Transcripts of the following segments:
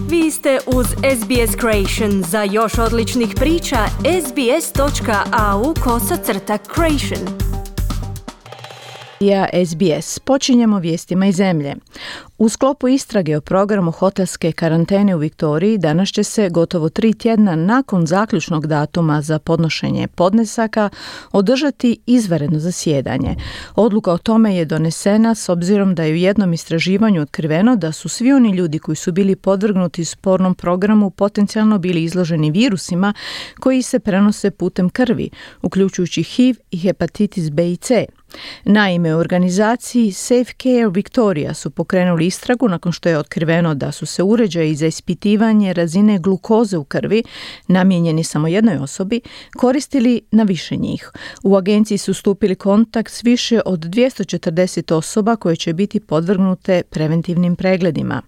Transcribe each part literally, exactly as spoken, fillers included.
Vi ste uz S B S Creation. Za još odličnih priča, sbs.au kosacrta creation. Ja S B S. Počinjemo vijestima iz zemlje. U sklopu istrage o programu hotelske karantene u Viktoriji danas će se gotovo tri tjedna nakon zaključnog datuma za podnošenje podnesaka održati izvanredno zasjedanje. Odluka o tome je donesena s obzirom da je u jednom istraživanju otkriveno da su svi oni ljudi koji su bili podvrgnuti spornom programu potencijalno bili izloženi virusima koji se prenose putem krvi, uključujući H I V i hepatitis B i C. Naime, u organizaciji Safe Care Victoria su pokrenuli istragu nakon što je otkriveno da su se uređaji za ispitivanje razine glukoze u krvi, namijenjeni samo jednoj osobi, koristili na više njih. U agenciji su stupili kontakt s više od dvjesto četrdeset osoba koje će biti podvrgnute preventivnim pregledima.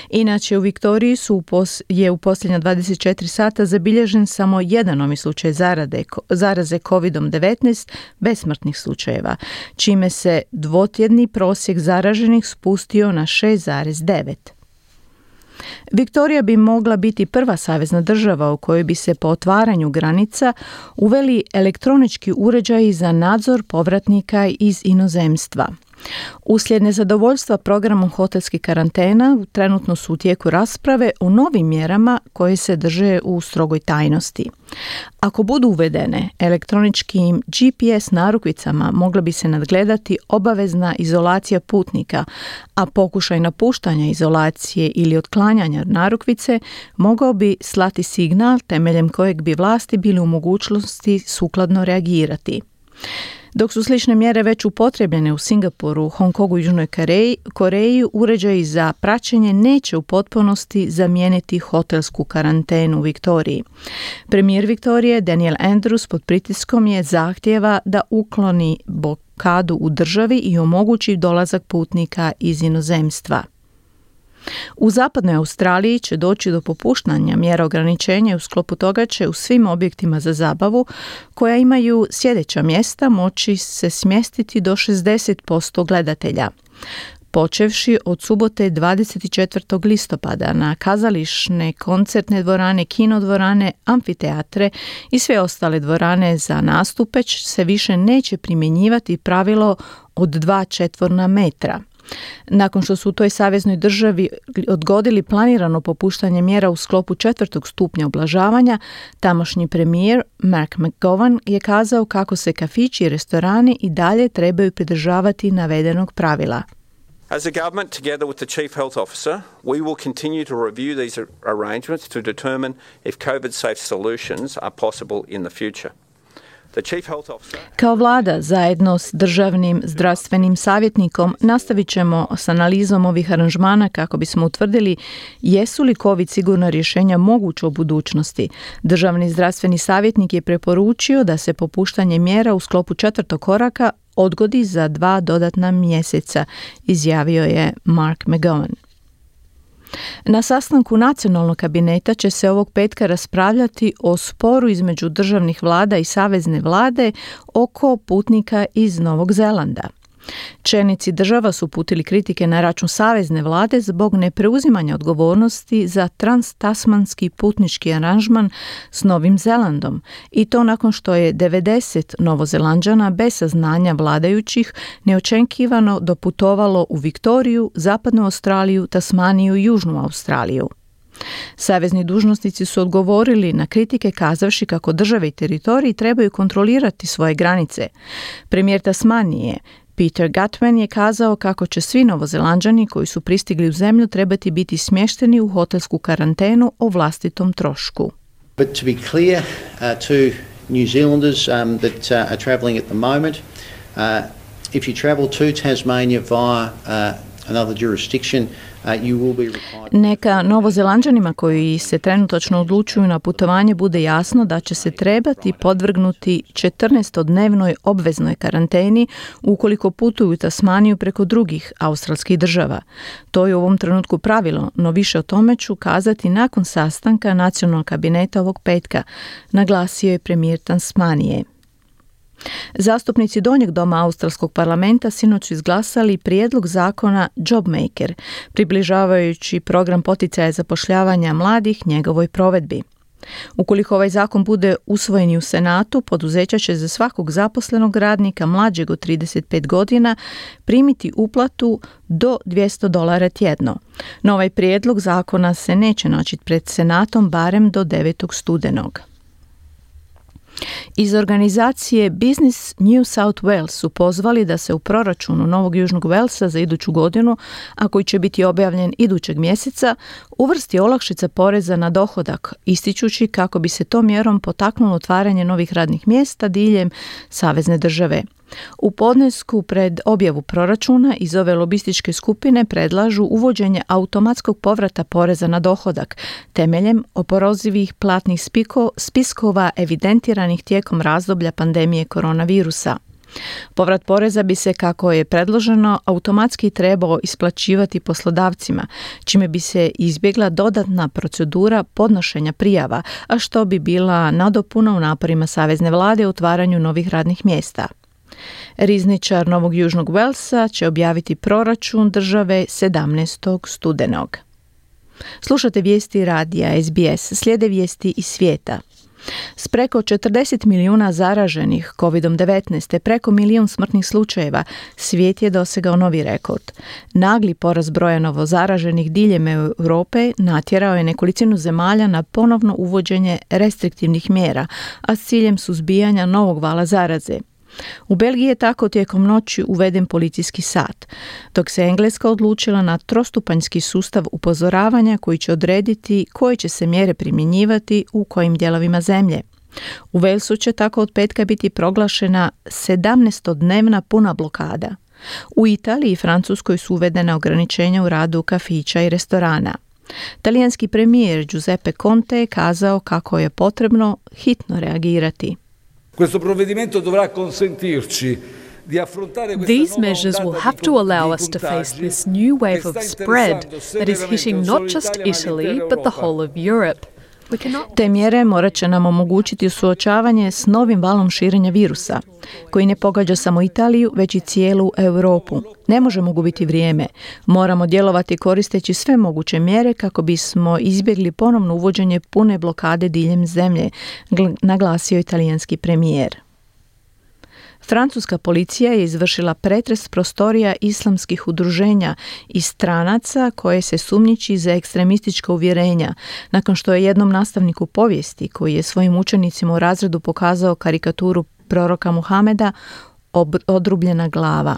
Inače, u Viktoriji su u pos, je u posljednja dvadeset četiri sata zabilježen samo jedan novi slučaj zarade, zaraze kovid devetnaest bez smrtnih slučajeva, čime se dvotjedni prosjek zaraženih spustio na šest zarez devet. Viktorija bi mogla biti prva savezna država u kojoj bi se po otvaranju granica uveli elektronički uređaji za nadzor povratnika iz inozemstva. Uslijed nezadovoljstva programom hotelskih karantena trenutno su u tijeku rasprave o novim mjerama koje se drže u strogoj tajnosti. Ako budu uvedene, elektroničkim G P S narukvicama mogla bi se nadgledati obavezna izolacija putnika, a pokušaj napuštanja izolacije ili otklanjanja narukvice mogao bi slati signal temeljem kojeg bi vlasti bili u mogućnosti sukladno reagirati. Dok su slične mjere već upotrebljene u Singapuru, Hong Kongu i Južnoj Koreji, Koreji, uređaji za praćenje neće u potpunosti zamijeniti hotelsku karantenu u Viktoriji. Premijer Viktorije Daniel Andrews pod pritiskom je zahtjeva da ukloni blokadu u državi i omogući dolazak putnika iz inozemstva. U zapadnoj Australiji će doći do popuštanja mjera ograničenja i u sklopu toga će u svim objektima za zabavu koja imaju sjedeća mjesta moći se smjestiti do šezdeset posto gledatelja. Počevši od subote dvadeset četvrtog listopada na kazališne, koncertne dvorane, kinodvorane, amfiteatre i sve ostale dvorane za nastupe se više neće primjenjivati pravilo od dva četvorna metra. Nakon što su u toj saveznoj državi odgodili planirano popuštanje mjera u sklopu četvrtog stupnja ublažavanja, tamošnji premijer Mark McGowan je kazao kako se kafići i restorani i dalje trebaju pridržavati navedenog pravila. As a government, together with the Chief Health Officer, we will continue to review these arrangements to determine if COVID-safe solutions are possible in the future. Kao vlada, zajedno s državnim zdravstvenim savjetnikom, nastavit ćemo s analizom ovih aranžmana kako bismo utvrdili jesu li COVID sigurna rješenja moguće u budućnosti. Državni zdravstveni savjetnik je preporučio da se popuštanje mjera u sklopu četvrtog koraka odgodi za dva dodatna mjeseca, izjavio je Mark McGowan. Na sastanku nacionalnog kabineta će se ovog petka raspravljati o sporu između državnih vlada i savezne vlade oko putnika iz Novog Zelanda. Čelnici država su uputili kritike na račun savezne vlade zbog nepreuzimanja odgovornosti za transtasmanski putnički aranžman s Novim Zelandom i to nakon što je devedeset Novozelanđana bez saznanja vladajućih neočekivano doputovalo u Viktoriju, Zapadnu Australiju, Tasmaniju i Južnu Australiju. Savezni dužnosnici su odgovorili na kritike kazavši kako države i teritoriji trebaju kontrolirati svoje granice. Premijer Tasmanije Peter Gutwein je kazao kako će svi Novozelanđani koji su pristigli u zemlju trebati biti smješteni u hotelsku karantenu o vlastitom trošku. But to be clear uh, to New Zealanders um, that uh, are travelling at the moment, uh, if you travel to Tasmania via uh, another jurisdiction, Neka Novozelanđanima koji se trenutačno odlučuju na putovanje bude jasno da će se trebati podvrgnuti četrnaestodnevnoj obveznoj karanteni ukoliko putuju u Tasmaniju preko drugih australskih država. To je u ovom trenutku pravilo, no više o tome ću kazati nakon sastanka nacionalnog kabineta ovog petka, naglasio je premijer Tasmanije. Zastupnici Donjeg doma Australskog parlamenta sinoć su izglasali prijedlog zakona JobMaker, približavajući program poticaja zapošljavanja mladih njegovoj provedbi. Ukoliko ovaj zakon bude usvojen i u Senatu, poduzeća će za svakog zaposlenog radnika mlađeg od trideset pet godina primiti uplatu do dvjesto dolara tjedno. No ovaj prijedlog zakona se neće naći pred Senatom barem do devetog studenog. Iz organizacije Business New South Wales su pozvali da se u proračunu Novog Južnog Walesa za iduću godinu, a koji će biti objavljen idućeg mjeseca, uvrsti olakšica poreza na dohodak, ističući kako bi se tom mjerom potaknulo otvaranje novih radnih mjesta diljem savezne države. U podnesku pred objavu proračuna iz ove lobističke skupine predlažu uvođenje automatskog povrata poreza na dohodak temeljem oporezivih platnih spiko, spiskova evidentiranih tijekom razdoblja pandemije koronavirusa. Povrat poreza bi se, kako je predloženo, automatski trebao isplaćivati poslodavcima, čime bi se izbjegla dodatna procedura podnošenja prijava, a što bi bila nadopuna u naporima savezne vlade u otvaranju novih radnih mjesta. Rizničar Novog Južnog Walesa će objaviti proračun države sedamnaestog studenog. Slušate vijesti radija S B S, slijede vijesti iz svijeta. S preko četrdeset milijuna zaraženih kovid devetnaest te preko milijun smrtnih slučajeva, svijet je dosegao novi rekord. Nagli porast broja novo zaraženih diljem Europe natjerao je nekolicinu zemalja na ponovno uvođenje restriktivnih mjera, a s ciljem suzbijanja novog vala zaraze. U Belgiji je tako tijekom noći uveden policijski sat, dok se Engleska odlučila na trostupanjski sustav upozoravanja koji će odrediti koje će se mjere primjenjivati u kojim dijelovima zemlje. U Walesu će tako od petka biti proglašena sedamnaestodnevna puna blokada. U Italiji i Francuskoj su uvedena ograničenja u radu kafića i restorana. Talijanski premijer Giuseppe Conte je kazao kako je potrebno hitno reagirati. Questo provvedimento dovrà consentirci di affrontare questa These nuova measures will ondata have di to con- allow di us to face contagi this new wave che of sta spread interessando that is seriamente hitting non not solo just l'Italia, ma Italy, l'intera but the Europa. whole of Europe. We cannot Te mjere morat će nam omogućiti suočavanje s novim valom širenja virusa, koji ne pogađa samo Italiju, već i cijelu Europu. Ne možemo gubiti vrijeme. Moramo djelovati koristeći sve moguće mjere kako bismo izbjegli ponovno uvođenje pune blokade diljem zemlje, gl- naglasio italijanski premijer. Francuska policija je izvršila pretres prostorija islamskih udruženja i stranaca koje se sumnjiči za ekstremistička uvjerenja, nakon što je jednom nastavniku povijesti, koji je svojim učenicima u razredu pokazao karikaturu proroka Muhameda, ob- odrubljena glava.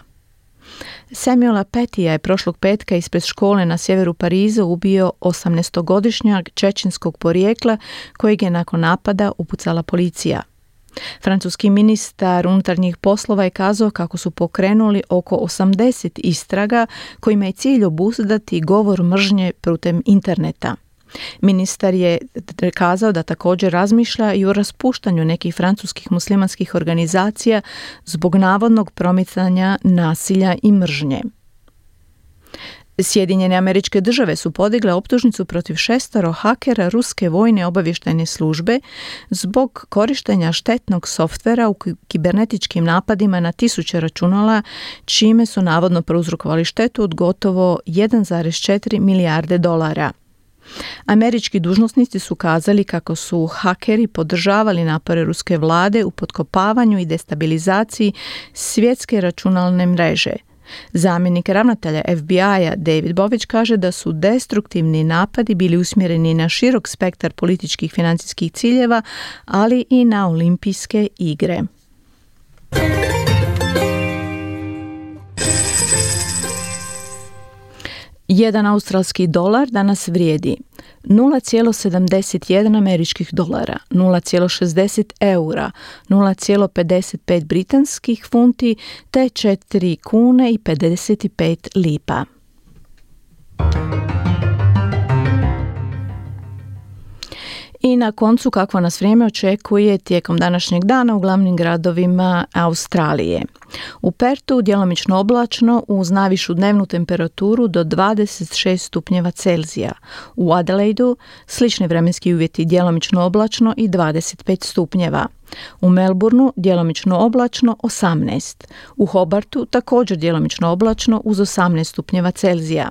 Samuela Petija je prošlog petka ispred škole na sjeveru Pariza ubio osamnaestogodišnjak čečenskog porijekla kojeg je nakon napada upucala policija. Francuski ministar unutarnjih poslova je kazao kako su pokrenuli oko osamdeset istraga kojima je cilj obuzdati govor mržnje putem interneta. Ministar je kazao da također razmišlja i o raspuštanju nekih francuskih muslimanskih organizacija zbog navodnog promicanja nasilja i mržnje. Sjedinjene Američke Države su podigle optužnicu protiv šestoro hakera ruske vojne obavještajne službe zbog korištenja štetnog softvera u kibernetičkim napadima na tisuće računala, čime su navodno prouzrokovali štetu od gotovo jedan zarez četiri milijarde dolara. Američki dužnosnici su kazali kako su hakeri podržavali napore ruske vlade u potkopavanju i destabilizaciji svjetske računalne mreže. Zamjenik ravnatelja F B I-a David Bović kaže da su destruktivni napadi bili usmjereni na širok spektar političkih financijskih ciljeva, ali i na olimpijske igre. Jedan australski dolar danas vrijedi nula zarez sedamdeset jedan američkih dolara, nula zarez šezdeset eura, nula zarez pedeset pet britanskih funti te četiri kune i pedeset pet lipa. I na koncu kakvo nas vrijeme očekuje tijekom današnjeg dana u glavnim gradovima Australije. U Pertu djelomično oblačno uz najvišu dnevnu temperaturu do dvadeset šest stupnjeva Celzija. U Adelaidu slični vremenski uvjeti djelomično oblačno i dvadeset pet stupnjeva. U Melbourneu djelomično oblačno osamnaest. U Hobartu također djelomično oblačno uz osamnaest stupnjeva Celzija.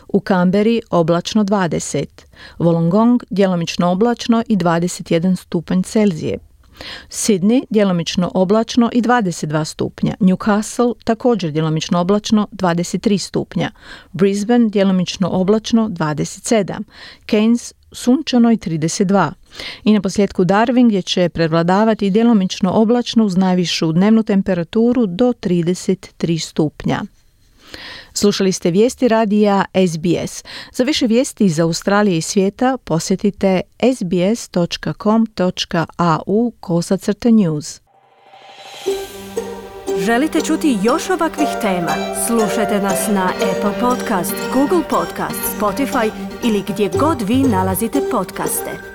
U Canberri oblačno dvadeset. Wollongong djelomično oblačno i dvadeset jedan stupanj Celzije. Sydney djelomično oblačno i dvadeset dva stupnja. Newcastle također djelomično oblačno dvadeset tri stupnja. Brisbane djelomično oblačno dvadeset sedam. Cairns sunčano i trideset dva. I na posljedku Darwin gdje će prevladavati djelomično oblačno uz najvišu dnevnu temperaturu do trideset tri stupnja. Slušali ste vijesti radija S B S. Za više vijesti iz Australije i svijeta posjetite sbs.com.au kosacrta news. Želite čuti još ovakvih tema? Slušajte nas na Apple Podcast, Google Podcast, Spotify ili gdje god vi nalazite podcaste.